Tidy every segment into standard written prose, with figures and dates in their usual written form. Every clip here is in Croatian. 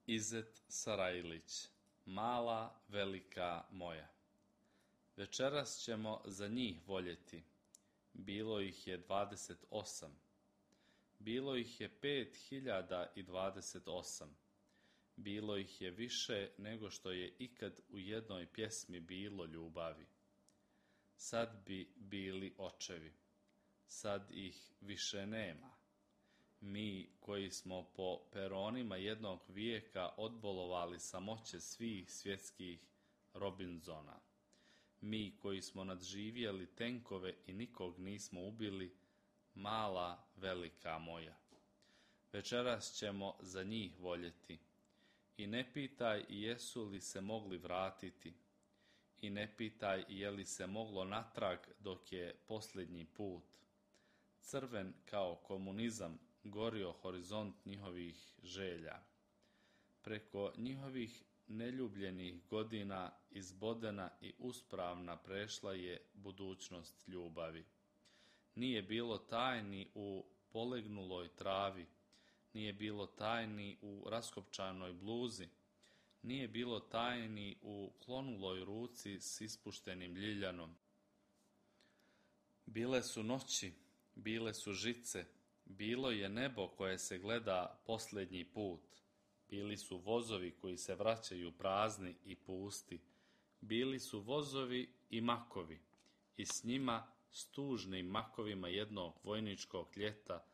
Izet Sarajlić, mala, velika moja. Večeras ćemo za njih voljeti. Bilo ih je 28. Bilo ih je 5028. Bilo ih je više nego što je ikad u jednoj pjesmi bilo ljubavi. Sad bi bili očevi. Sad ih više nema. Mi koji smo po peronima jednog vijeka odbolovali samoće svih svjetskih Robinzona. Mi koji smo nadživjeli tenkove i nikog nismo ubili, mala, velika moja. Večeras ćemo za njih voljeti. I ne pitaj jesu li se mogli vratiti. I ne pitaj je li se moglo natrag dok je posljednji put. Crven kao komunizam gorio horizont njihovih želja. Preko njihovih neljubljenih godina izbodena i uspravna prešla je budućnost ljubavi. Nije bilo tajni u polegnuloj travi, nije bilo tajni u raskopčanoj bluzi, nije bilo tajni u klonuloj ruci s ispuštenim ljiljanom. Bile su noći, bile su žice, bilo je nebo koje se gleda posljednji put. Bili su vozovi koji se vraćaju prazni i pusti. Bili su vozovi i makovi. I s njima, s tužnim makovima jednog vojničkog ljeta,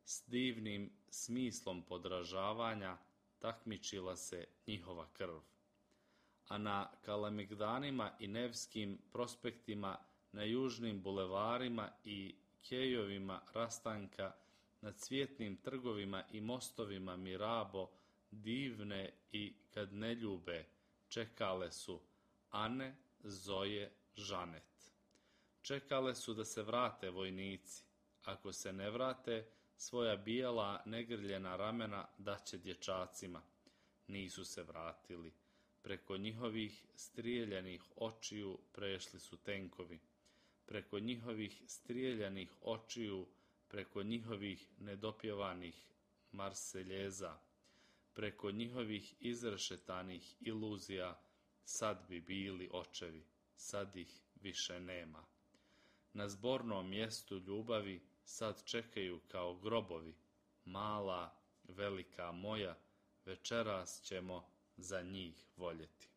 s divnim smislom podražavanja, takmičila se njihova krv. A na Kalemegdanima i Nevskim prospektima, na južnim bulevarima i kejovima rastanka, na cvjetnim trgovima i mostovima Mirabo, divne i kad ne ljube, čekale su Ane, Zoje, Žanet. Čekale su da se vrate vojnici. Ako se ne vrate, svoja bijela, negrljena ramena daće dječacima. Nisu se vratili. Preko njihovih strijeljanih očiju prešli su tenkovi. Preko njihovih strijeljanih očiju, preko njihovih nedopjevanih marseljeza, preko njihovih izrešetanih iluzija, sad bi bili očevi, sad ih više nema. Na zbornom mjestu ljubavi sad čekaju kao grobovi, mala, velika moja, večeras ćemo za njih voljeti.